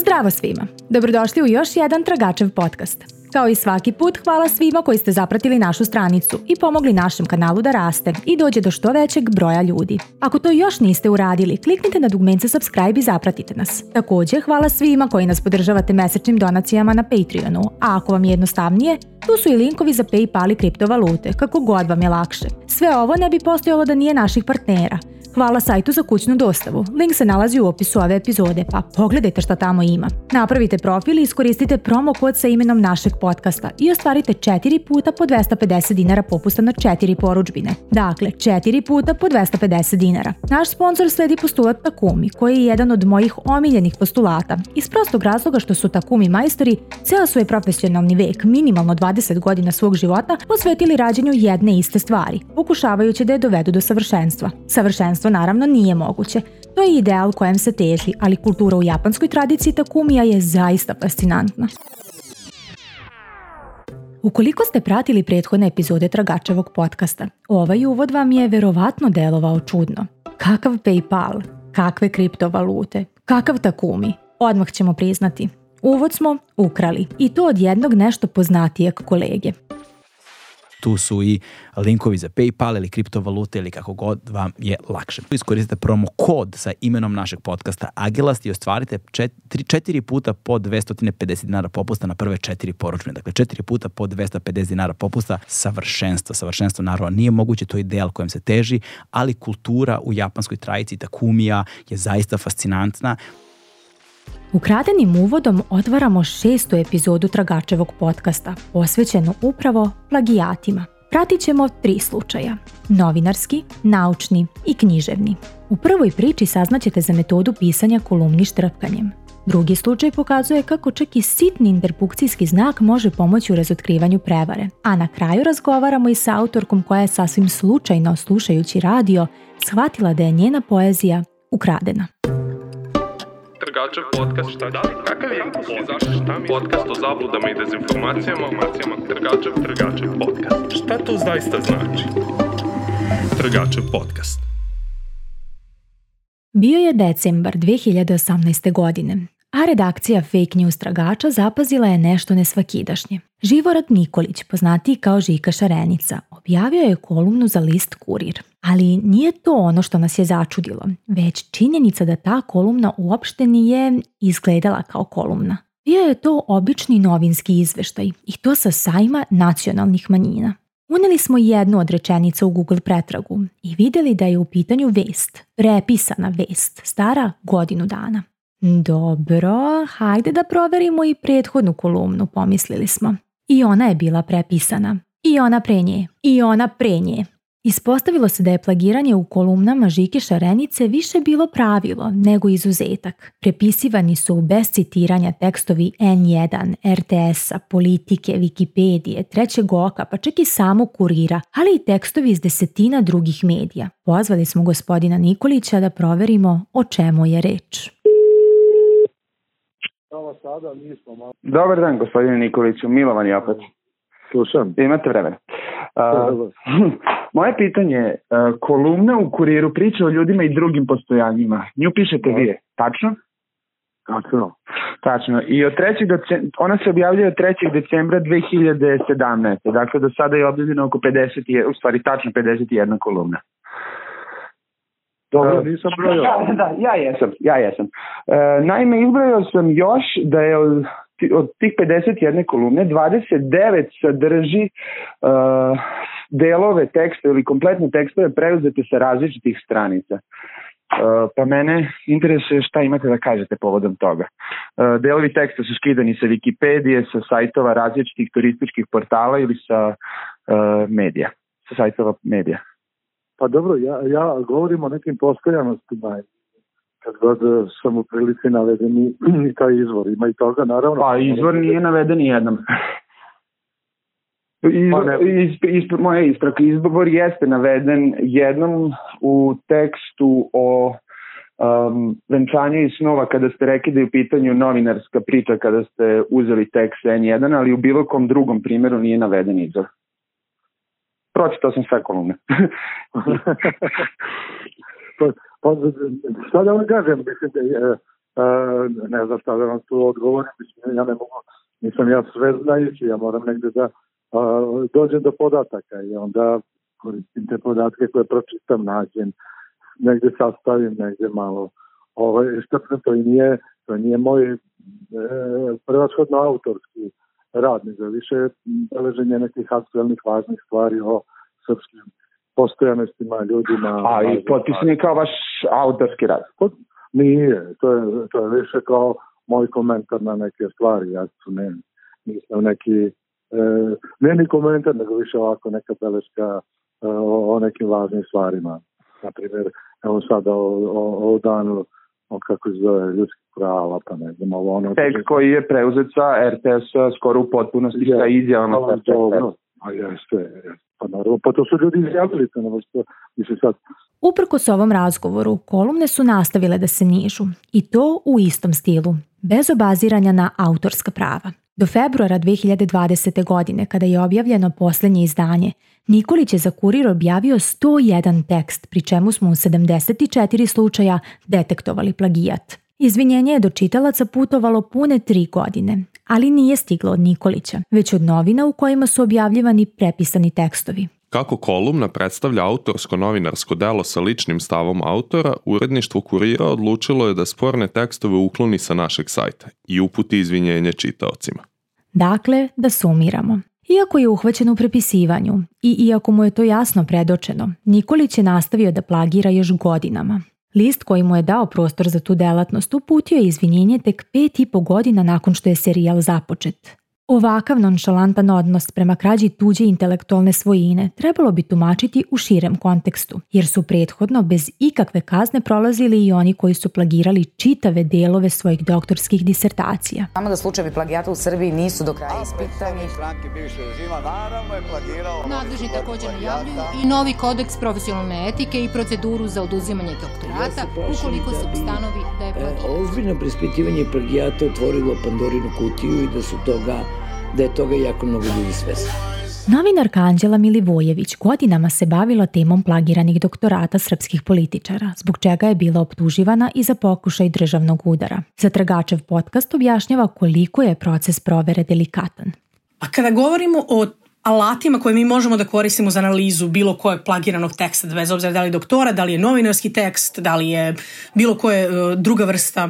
Zdravo svima! Dobrodošli u još jedan Tragačev podcast. Kao i svaki put, hvala svima koji ste zapratili našu stranicu i pomogli našem kanalu da raste i dođe do što većeg broja ljudi. Ako to još niste uradili, kliknite na dugmence subscribe i zapratite nas. Također, hvala svima koji nas podržavate mesečnim donacijama na Patreonu, a ako vam je jednostavnije, tu su i linkovi za PayPal i kriptovalute, kako god vam je lakše. Sve ovo ne bi postojalo da nije naših partnera. Hvala sajtu za kućnu dostavu. Link se nalazi u opisu ove epizode, pa pogledajte šta tamo ima. Napravite profil i iskoristite promo kod sa imenom našeg podcasta i ostvarite 4 puta po 250 dinara popusta na 4 porudžbine. Dakle, 4 puta po 250 dinara. Naš sponsor sledi postulat Takumi, koji je jedan od mojih omiljenih postulata, iz prostog razloga što su Takumi majstori ceo svoj profesionalni vek, minimalno 20 godina svog života, posvetili rađenju jedne iste stvari, pokušavajući da je dovedu do savršenstva. Savršenstvo naravno nije moguće. To je ideal kojem se teži, ali kultura u japanskoj tradiciji Takumija je zaista fascinantna. Ukoliko ste pratili prethodne epizode Tragačevog podcasta, ovaj uvod vam je verovatno delovao čudno. Kakav PayPal? Kakve kriptovalute? Kakav Takumi? Odmah ćemo priznati. Uvod smo ukrali i to od jednog nešto poznatijeg kolege. Tu su i linkovi za PayPal ili kriptovalute ili kako god vam je lakše. Iskoristite promo kod sa imenom našeg podcasta Agilast i ostvarite 4 puta po 250 dinara popusta na prve 4 porudžbine. Dakle, 4 puta po 250 dinara popusta. Savršenstvo. Savršenstvo naravno nije moguće, to je ideal kojem se teži, ali kultura u japanskoj tradiciji Takumija je zaista fascinantna. Ukradenim uvodom otvaramo 6. epizodu Tragačevog podcasta, posvećenu upravo plagijatima. Pratit ćemo 3 slučaja: novinarski, naučni i književni. U prvoj priči saznaćete za metodu pisanja kolumni štrpkanjem. Drugi slučaj pokazuje kako čak i sitni interpunkcijski znak može pomoći u razotkrivanju prevare. A na kraju razgovaramo i sa autorkom koja je sasvim slučajno, slušajući radio, shvatila da je njena poezija ukradena. Tragačev podcast, šta da? Kakav je? Podcast o zabludama i dezinformacijama. Tragačev podcast. Šta to zaista znači? Tragačev podcast. Bio je decembar 2018. godine, a redakcija Fake News Tragača zapazila je nešto nesvakidašnje. Živorad Nikolić, poznatiji kao Žika Šarenica, objavio je kolumnu za list Kurir. Ali nije to ono što nas je začudilo, već činjenica da ta kolumna uopšte nije izgledala kao kolumna. Bio je to obični novinski izveštaj i to sa sajma nacionalnih manjina. Uneli smo jednu od rečenica u Google pretragu i vidjeli da je u pitanju vest, prepisana vest, stara godinu dana. Dobro, hajde da proverimo i prethodnu kolumnu, pomislili smo. I ona je bila prepisana. I ona pre nje. I ona pre nje. Ispostavilo se da je plagiranje u kolumnama Žike Šarenice više bilo pravilo nego izuzetak. Prepisivani su bez citiranja tekstovi N1, RTS-a, Politike, Wikipedije, Trećeg oka, pa čak i samog Kurira, ali i tekstovi iz desetina drugih medija. Pozvali smo gospodina Nikolića da proverimo o čemu je reč. Dobar dan, gospodine Nikoliću, Milovan je opet. Slušam. Imate vremena. Moje pitanje je, kolumna u Kuriru priča o ljudima i drugim postojanjima. Nju pišete vi, tačno? Tačno. I od ona se objavljuje od 3. decembra 2017. Dakle, do sada je objavljeno oko 50, u stvari tačno 51 kolumna. Dobro, nisam brojao. Da, ja jesam. Naime, izbrojao sam još da je od tih 51 kolumne 29 sadrži delove teksta ili kompletne tekstove preuzete sa različitih stranica. Pa mene interesuje šta imate da kažete povodom toga. Delovi teksta su skidani sa Wikipedije, sa sajtova različitih turističkih portala ili sa medija, sa sajtova medija. Pa dobro, ja govorim o nekim postojanostima. Kad god sam u prilici navedeni i taj izvor, ima i toga, naravno. Pa izvor nije naveden nijednom. Moja ispravka, izbor jeste naveden jednom u tekstu o venčanju iz snova kada ste rekli da je u pitanju novinarska priča kada ste uzeli tekst N1, ali u bilo kom drugom primjeru nije naveden izvor. Pročitao sam sve kolumne. Pa šta da vam kažem, mislim, ne znam šta da vam tu odgovorim, ja ne mogu, nisam ja sve znajući, ja moram negde da dođem do podataka i onda koristim te podatke koje pročitam, nađem, negde sastavim, negde malo što to nije moj prevashodno autorski rad, nego više beleženje nekih aktualnih važnih stvari o srpskim postojanostima, ljudima. A i potpisan je kao vaš autorski rad? Nije, to je više kao moj komentar na neke stvari, ja nisam neki ne ni komentar, nego više ovako neka beleška o nekim važnim stvarima. Naprimjer, evo sada o danu kako se zove ljudskih prava, pa ne znam, ovo ono... Tekst koji je preuzet sa RTS-a skoro u potpunosti sa izjavama. A jeste, pa naravno, pa to su ljudi izjavili, to ne što više sad... Uprkos ovom razgovoru, kolumne su nastavile da se nižu, i to u istom stilu, bez obaziranja na autorska prava. Do februara 2020. godine, kada je objavljeno posljednje izdanje, Nikolić je za Kurir objavio 101 tekst, pri čemu smo u 74 slučaja detektovali plagijat. Izvinjenje je do čitalaca putovalo pune 3 godine, ali nije stiglo od Nikolića, već od novina u kojima su objavljivani prepisani tekstovi. Kako kolumna predstavlja autorsko novinarsko delo sa ličnim stavom autora, uredništvo Kurira odlučilo je da sporne tekstove ukloni sa našeg sajta i uputi izvinjenje čitaocima. Dakle, da sumiramo. Iako je uhvaćen u prepisivanju i iako mu je to jasno predočeno, Nikolić je nastavio da plagira još godinama. List koji mu je dao prostor za tu delatnost uputio je izvinjenje tek 5,5 godina nakon što je serijal započet. Ovakav nonšalantan odnos prema krađi tuđe intelektualne svojine trebalo bi tumačiti u širem kontekstu, jer su prethodno bez ikakve kazne prolazili i oni koji su plagirali čitave delove svojih doktorskih disertacija. Znamo da slučajevi plagijata u Srbiji nisu do kraja ispitani. Nadležni također najavljuju i novi kodeks profesionalne etike i proceduru za oduzimanje doktorata ukoliko se ustanovi da je plagijat. Ozbiljno preispitivanje plagijata otvorilo Pandorinu kutiju i da je toga jako mnogo ljudi svesno. Novinarka Anđela Milivojević godinama se bavila temom plagiranih doktorata srpskih političara, zbog čega je bila optuživana i za pokušaj državnog udara. Za Tragačev podcast objašnjava koliko je proces provere delikatan. A kada govorimo o alatima koje mi možemo da koristimo za analizu bilo kojeg plagiranog teksta, bez obzira da li je doktora, da li je novinarski tekst, da li je bilo koje druga vrsta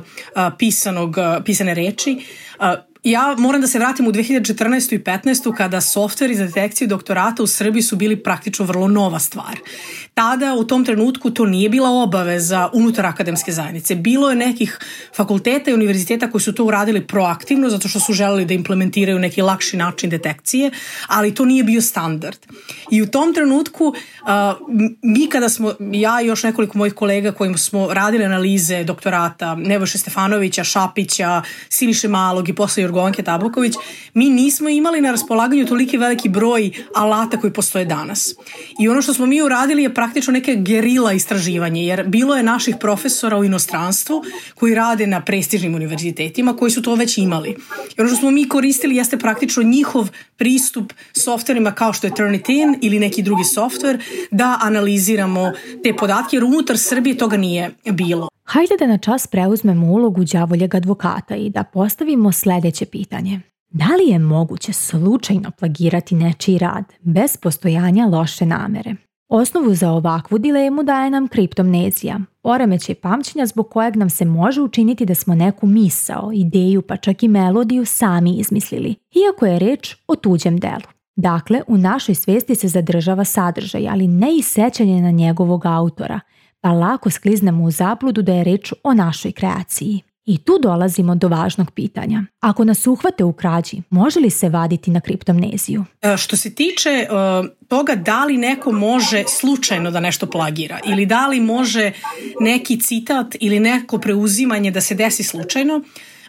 pisane reči, ja moram da se vratim u 2014. i 2015. kada softveri za detekciju doktorata u Srbiji su bili praktično vrlo nova stvar. Tada, u tom trenutku, to nije bila obaveza unutar akademske zajednice. Bilo je nekih fakulteta i univerziteta koji su to uradili proaktivno, zato što su želeli da implementiraju neki lakši način detekcije, ali to nije bio standard. I u tom trenutku, mi kada smo, ja i još nekoliko mojih kolega kojima smo radili analize doktorata, Nebojše Stefanovića, Šapića, Siniše Malog i posle Jorgovanke Tabaković, mi nismo imali na raspolaganju toliki veliki broj alata koji postoje danas. I ono što smo mi uradili je praktično neke gerila istraživanje, jer bilo je naših profesora u inostranstvu koji rade na prestižnim univerzitetima koji su to već imali. I ono što smo mi koristili jeste praktično njihov pristup softverima kao što je Turnitin ili neki drugi softver da analiziramo te podatke, jer unutar Srbije toga nije bilo. Hajde da na čas preuzmemo ulogu đavoljeg advokata i da postavimo sljedeće pitanje. Da li je moguće slučajno plagirati nečiji rad bez postojanja loše namere? Osnovu za ovakvu dilemu daje nam kriptomnezija, poremećaj pamćenja zbog kojeg nam se može učiniti da smo neku misao, ideju pa čak i melodiju sami izmislili, iako je reč o tuđem delu. Dakle, u našoj svijesti se zadržava sadržaj, ali ne i sećanje na njegovog autora, pa lako skliznemo u zabludu da je reč o našoj kreaciji. I tu dolazimo do važnog pitanja. Ako nas uhvate u krađi, može li se vaditi na kriptomneziju? Što se tiče toga da li neko može slučajno da nešto plagira ili da li može neki citat ili neko preuzimanje da se desi slučajno,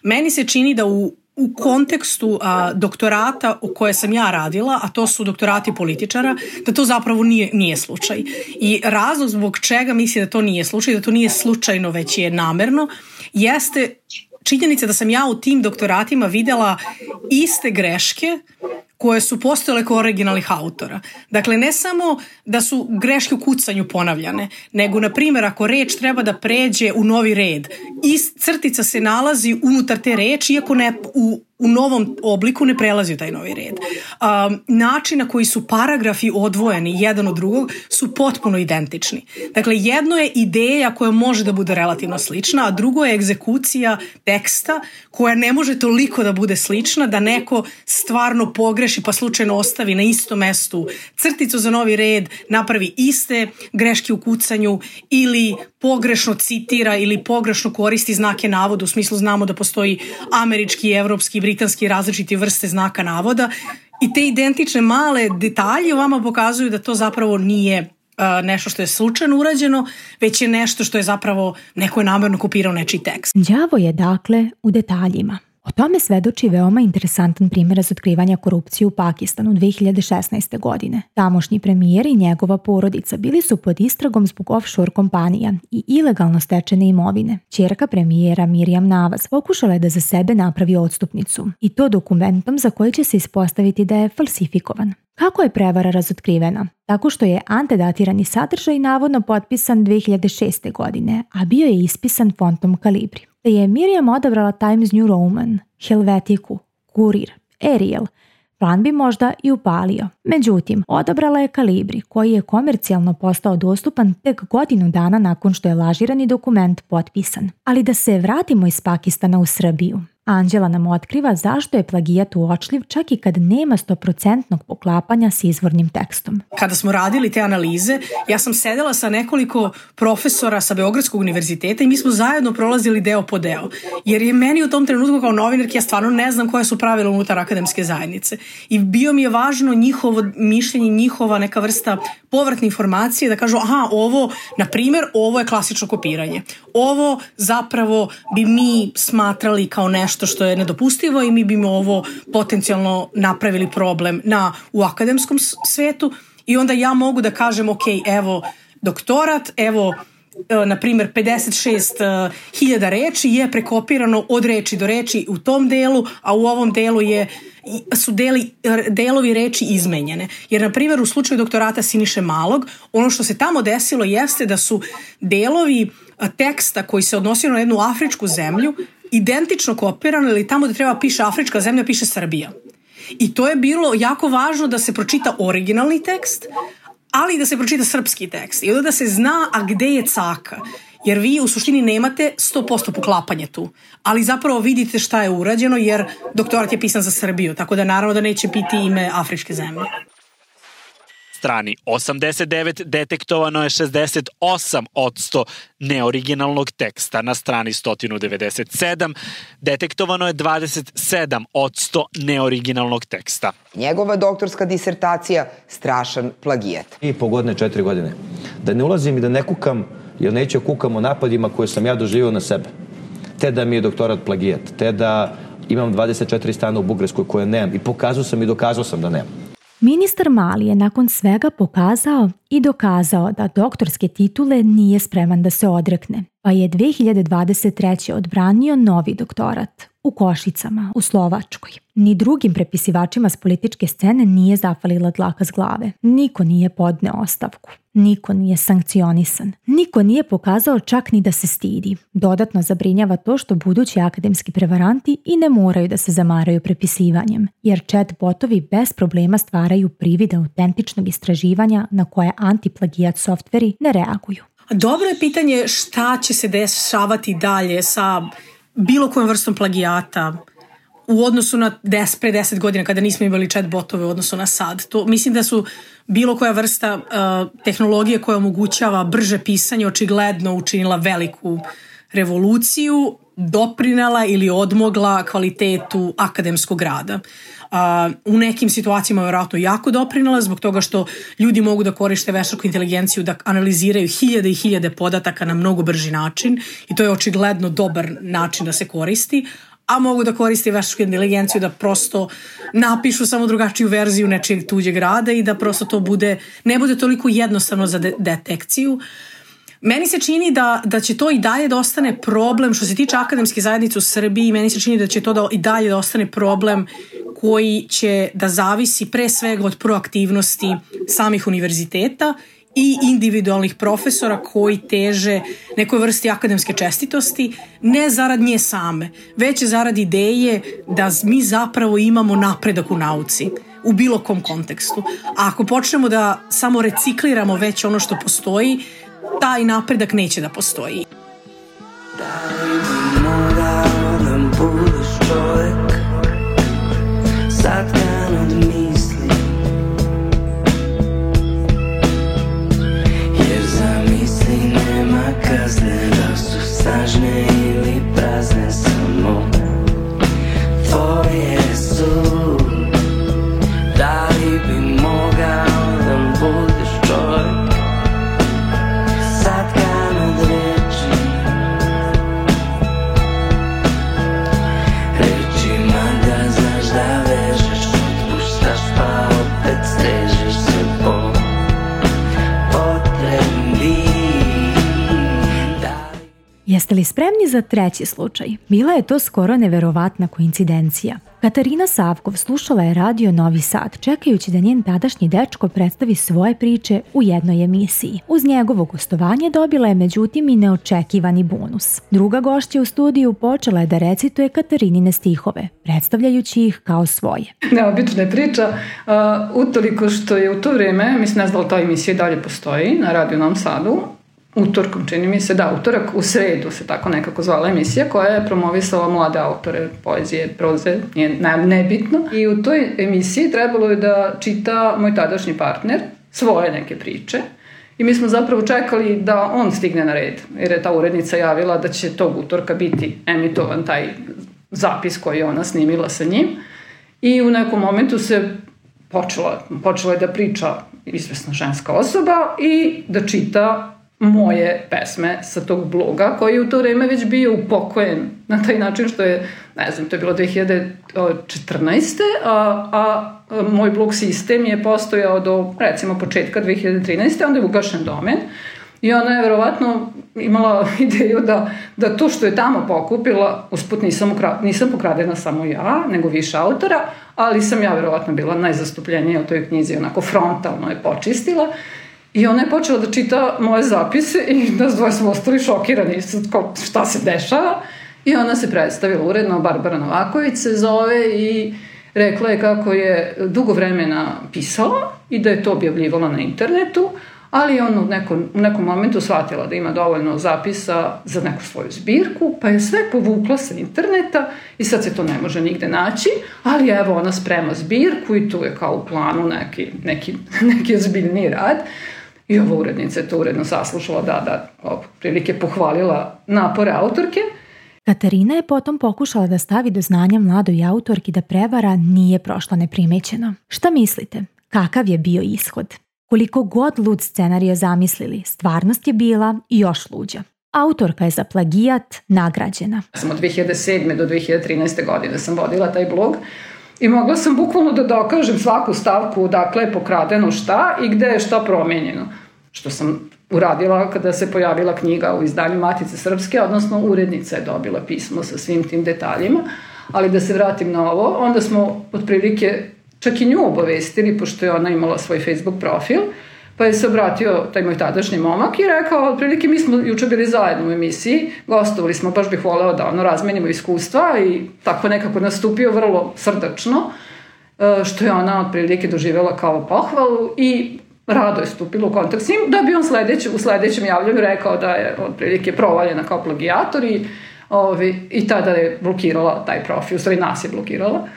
meni se čini da u kontekstu doktorata u koje sam ja radila, a to su doktorati političara, da to zapravo nije slučaj. I razlog zbog čega mislim da to nije slučaj, da to nije slučajno već je namerno, jeste činjenica da sam ja u tim doktoratima videla iste greške koje su postojale kao originalnih autora. Dakle, ne samo da su greške u kucanju ponavljane, nego, na primjer, ako reč treba da pređe u novi red, crtica se nalazi unutar te reči, iako ne u novom obliku ne prelazi u taj novi red. Način na koji su paragrafi odvojeni jedan od drugog su potpuno identični. Dakle, jedno je ideja koja može da bude relativno slična, a drugo je egzekucija teksta koja ne može toliko da bude slična da neko stvarno pogreši pa slučajno ostavi na istom mestu crticu za novi red, napravi iste greške u kucanju ili pogrešno citira ili pogrešno koristi znake navoda, u smislu znamo da postoji američki, evropski, britanski različiti vrste znaka navoda i te identične male detalje vama pokazuju da to zapravo nije nešto što je slučajno urađeno, već je nešto što je zapravo neko je namjerno kopirao nečiji tekst. Đavo je dakle u detaljima. O tome svedoči veoma interesantan primjer razotkrivanja korupcije u Pakistanu 2016. godine. Tamošnji premijer i njegova porodica bili su pod istragom zbog offshore kompanija i ilegalno stečene imovine. Ćerka premijera Mirjam Nawaz pokušala je da za sebe napravi odstupnicu i to dokumentom za koji će se ispostaviti da je falsifikovan. Kako je prevara razotkrivena? Tako što je antedatirani sadržaj navodno potpisan 2006. godine, a bio je ispisan fontom Kalibri. Te je Mirjam odabrala Times New Roman, Helvetiku, Kurir, Ariel, plan bi možda i upalio. Međutim, odabrala je Kalibri, koji je komercijalno postao dostupan tek godinu dana nakon što je lažirani dokument potpisan. Ali da se vratimo iz Pakistana u Srbiju. Anđela nam otkriva zašto je plagijat uočljiv čak i kad nema 100% poklapanja s izvornim tekstom. Kada smo radili te analize, ja sam sedela sa nekoliko profesora sa Beogradskog univerziteta i mi smo zajedno prolazili deo po deo. Jer je meni u tom trenutku kao novinarki, ja stvarno ne znam koje su pravila unutar akademske zajednice. I bio mi je važno njihovo mišljenje, njihova neka vrsta povratne informacije da kažu, aha, ovo, na primjer, ovo je klasično kopiranje. Ovo zapravo bi mi smatrali kao nešto što je nedopustivo i mi bi ovo potencijalno napravili problem u akademskom svetu i onda ja mogu da kažem, ok, evo doktorat, evo na primjer 56.000 reči je prekopirano od reči do reči u tom delu, a u ovom delu su delovi reči izmenjene. Jer, na primjer, u slučaju doktorata Siniše Malog, ono što se tamo desilo jeste da su delovi teksta koji se odnosio na jednu afričku zemlju identično kopirano, ili tamo da treba piše afrička zemlja, piše Srbija. I to je bilo jako važno da se pročita originalni tekst, ali i da se pročita srpski tekst. I onda da se zna, a gde je caka. Jer vi u suštini nemate 100% poklapanje tu. Ali zapravo vidite šta je urađeno, jer doktorat je pisan za Srbiju, tako da naravno da neće biti ime afričke zemlje. Strani 89 detektovano je 68% neoriginalnog teksta. Na strani 197 detektovano je 27% neoriginalnog teksta. Njegova doktorska disertacija, strašan plagijat. 2,5 godine, 4 godine. Da ne ulazim i da ne kukam, jer neću kukam o napadima koje sam ja doživio na sebe. Te da mi je doktorat plagijat, te da imam 24 stana u Bugarskoj koje nemam i pokazao sam i dokazao sam da nemam. Ministar Mali je nakon svega pokazao i dokazao da doktorske titule nije spreman da se odrekne, pa je 2023. odbranio novi doktorat u Košicama, u Slovačkoj. Ni drugim prepisivačima s političke scene nije zafalila dlaka s glave. Niko nije podneo ostavku. Niko nije sankcionisan. Niko nije pokazao čak ni da se stidi. Dodatno zabrinjava to što budući akademski prevaranti i ne moraju da se zamaraju prepisivanjem, jer chat botovi bez problema stvaraju privid autentičnog istraživanja na koje antiplagijat softveri ne reaguju. Dobro je pitanje šta će se dešavati dalje sa bilo kojom vrstom plagijata u odnosu na pre 10 godina kada nismo imali chat botove u odnosu na sad. To, mislim da su bilo koja vrsta tehnologije koja omogućava brže pisanje očigledno učinila veliku revoluciju, doprinela ili odmogla kvalitetu akademskog rada. U nekim situacijama je vjerojatno jako doprinela zbog toga što ljudi mogu da koriste veštačku inteligenciju da analiziraju hiljade i hiljade podataka na mnogo brži način i to je očigledno dobar način da se koristi, a mogu da koriste veštačku inteligenciju da prosto napišu samo drugačiju verziju nečeg tuđeg rada i da prosto to ne bude toliko jednostavno za detekciju. Meni se čini da će to i dalje da ostane problem što se tiče akademske zajednice u Srbiji, meni se čini da će to i dalje da ostane problem koji će da zavisi pre svega od proaktivnosti samih univerziteta i individualnih profesora koji teže nekoj vrsti akademske čestitosti, ne zarad nje same, već zarad ideje da mi zapravo imamo napredak u nauci u bilo kom kontekstu. A ako počnemo da samo recikliramo već ono što postoji, taj napredak neće da postoji. Satkan od misli, jer za misli nema kazne, da su snažne ili prazne, samo tvoje su. Da li bi mogao da budeš čovjek, satkan od reči, rečima da znaš da vežeš, otpuštaš pa opet stežeš se po potrebi. Jeste li spremni za treći slučaj? Bila je to skoro neverovatna koincidencija. Katarina Savkov slušala je radio Novi Sad, čekajući da njen tadašnji dečko predstavi svoje priče u jednoj emisiji. Uz njegovo gostovanje dobila je međutim i neočekivani bonus. Druga gošća u studiju počela je da recituje Katarinine stihove, predstavljajući ih kao svoje. Neobična je priča, utoliko što je u to vreme, mislim ne znam da ta emisija dalje postoji na radio Novom Sadu, utorkom čini mi se, da, utorak u sredu se tako nekako zvala emisija koja je promovisala mlade autore poezije, proze, nije nebitno. I u toj emisiji trebalo je da čita moj tadašnji partner svoje neke priče i mi smo zapravo čekali da on stigne na red, jer je ta urednica javila da će tog utorka biti emitovan taj zapis koji je ona snimila sa njim i u nekom momentu se počela je da priča izvesna ženska osoba i da čita moje pesme sa tog bloga koji je u to vreme već bio upokojen na taj način što je, ne znam, to je bilo 2014. a moj blog sistem je postojao do recimo početka 2013. onda je ugašen domen i ona je verovatno imala ideju da to što je tamo pokupila, usput nisam pokradena samo ja, nego više autora, ali sam ja verovatno bila najzastupljenija u toj knjizi, onako frontalno je počistila. I ona je počela da čita moje zapise i nas dvoje smo ostali šokirani šta se dešava. I ona se predstavila uredno, Barbara Novaković se zove i rekla je kako je dugo vremena pisala i da je to objavljivala na internetu, ali on u nekom momentu shvatila da ima dovoljno zapisa za neku svoju zbirku, pa je sve povukla sa interneta i sad se to ne može nigde naći, ali evo ona sprema zbirku i tu je kao u planu neki ozbiljniji rad. I ova urednica je to uredno saslušala, da prilike pohvalila napore autorke. Katarina je potom pokušala da stavi do znanja mladoj autorki da prevara nije prošla neprimećeno. Šta mislite? Kakav je bio ishod? Koliko god lud scenarija zamislili, stvarnost je bila još luđa. Autorka je za plagijat nagrađena. Od 2007. do 2013. godine sam vodila taj blog i mogla sam bukvalno da dokažem svaku stavku dakle je pokradeno šta i gde je šta promenjeno. Što sam uradila kada se pojavila knjiga u izdanju Matice Srpske, odnosno urednica je dobila pismo sa svim tim detaljima. Ali da se vratim na ovo, onda smo otprilike čak i nju obavestili, pošto je ona imala svoj Facebook profil, pa je se obratio taj moj tadašnji momak i rekao, otprilike mi smo juče bili zajedno u emisiji, gostovali smo, baš bih voleo da razmenimo iskustva i tako nekako nastupio vrlo srdačno, što je ona otprilike doživjela kao pohvalu i rado je stupila u kontakt s njim, da bi on u sledećem javljanju rekao da je otprilike provaljena kao plagijator i tada je blokirala taj profil, u stvari nas je blokirala.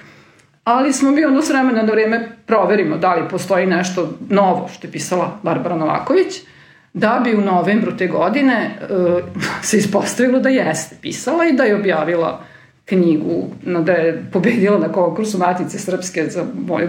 Ali smo mi s vremena na vrijeme proverimo da li postoji nešto novo što je pisala Barbara Novaković, da bi u novembru te godine se ispostavilo da jeste pisala i da je objavila knjigu, da je pobedila na konkursu Matice Srpske za moju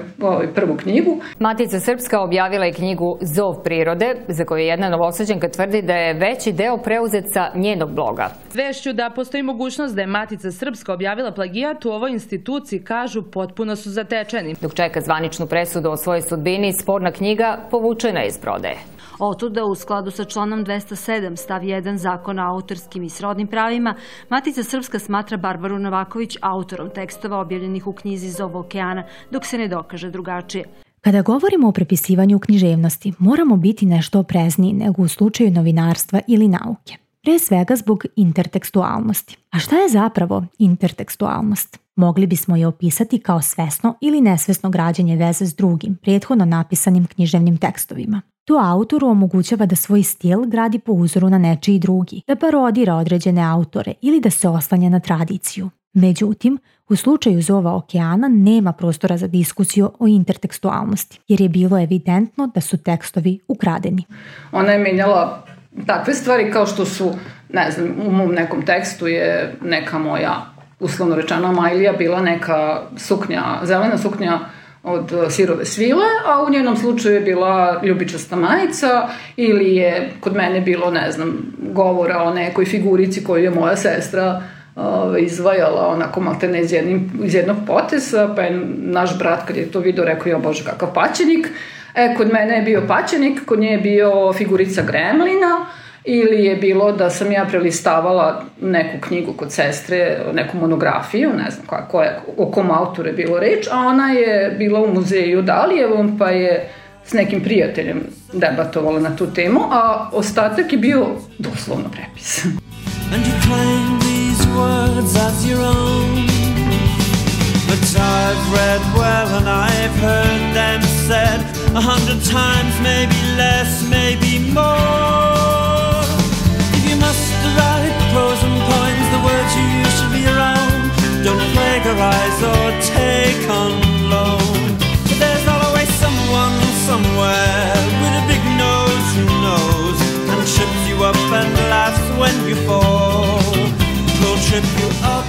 prvu knjigu. Matica Srpska objavila je knjigu Zov prirode, za koju jedna Novosađanka tvrdi da je veći deo preuzet sa njenog bloga. Zvešću da postoji mogućnost da je Matica Srpska objavila plagijat u ovoj instituciji, kažu, potpuno su zatečeni. Dok čeka zvaničnu presudu o svojoj sudbini, sporna knjiga povučena iz prodaje. Otuda, u skladu sa članom 207 stav 1 Zakona o autorskim i srodnim pravima, Matica Srpska smatra Barbaru Novaković autorom tekstova objavljenih u knjizi Zov okeana, dok se ne dokaže drugačije. Kada govorimo o prepisivanju književnosti, moramo biti nešto oprezniji nego u slučaju novinarstva ili nauke. Pre svega zbog intertekstualnosti. A šta je zapravo intertekstualnost? Mogli bismo je opisati kao svesno ili nesvesno građenje veze s drugim, prethodno napisanim književnim tekstovima. To autoru omogućava da svoj stil gradi po uzoru na nečiji drugi, da parodira određene autore ili da se oslanja na tradiciju. Međutim, u slučaju Zova okeana nema prostora za diskusiju o intertekstualnosti, jer je bilo evidentno da su tekstovi ukradeni. Ona je menjala takve stvari kao što su, ne znam, u mom nekom tekstu je neka moja, uslovno rečeno, Majlija bila neka suknja, zelena suknja od sirove svile, a u njenom slučaju je bila ljubičasta majica ili je kod mene bilo, ne znam, govora o nekoj figurici koju je moja sestra izvajala onako maltene iz jednog poteza, pa je naš brat kad je to video rekao, jo bože kakav paćenik. Kod mene je bio paćenik, kod nje je bio figurica Gremlina, ili je bilo da sam ja prelistavala neku knjigu kod sestre, neku monografiju, ne znam o kom autoru je bilo reč, a ona je bila u muzeju Dalijevom, pa je s nekim prijateljem debatovala na tu temu, a ostatak je bio doslovno prepis. And you claim these words as your own, but I've read well and I've heard them said 100 times, maybe less, maybe more. If you must write prose and poems, the words you use should be your own. Don't plagiarize or take on loan. But there's always someone somewhere with a big nose who knows and trips you up and laughs when you fall. He'll trip you up.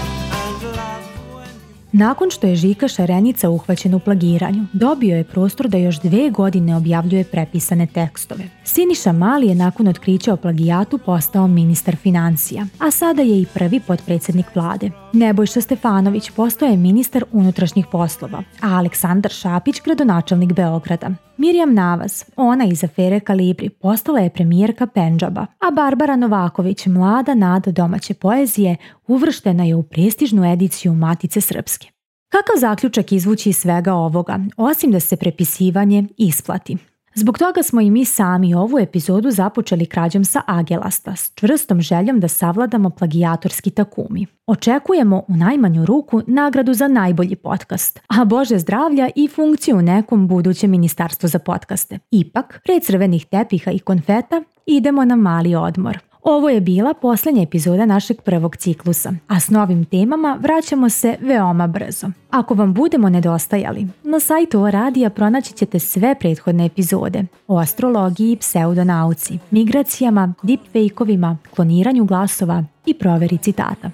Nakon što je Žika Šarenica uhvaćen u plagiranju, dobio je prostor da još 2 godine objavljuje prepisane tekstove. Siniša Mali je nakon otkrića o plagijatu postao ministar financija, a sada je i prvi potpredsjednik vlade. Nebojša Stefanović postao je ministar unutrašnjih poslova, a Aleksandar Šapić gradonačelnik Beograda. Mirjam Navas, ona iz afere Kalibri, postala je premijerka Pendžaba, a Barbara Novaković, mlada nada domaće poezije, uvrštena je u prestižnu ediciju Matice Srpske. Kakav zaključak izvući iz svega ovoga, osim da se prepisivanje isplati? Zbog toga smo i mi sami ovu epizodu započeli krađom sa Agelasta, s čvrstom željom da savladamo plagijatorski takumi. Očekujemo u najmanju ruku nagradu za najbolji podcast, a Bože zdravlja i funkciju u nekom budućem ministarstvu za podcaste. Ipak, pre crvenih tepiha i konfeta, idemo na mali odmor. Ovo je bila posljednja epizoda našeg prvog ciklusa, a s novim temama vraćamo se veoma brzo. Ako vam budemo nedostajali, na sajtu O-radija pronaći ćete sve prethodne epizode o astrologiji, pseudonauci, migracijama, deepfake-ovima, kloniranju glasova i proveri citata.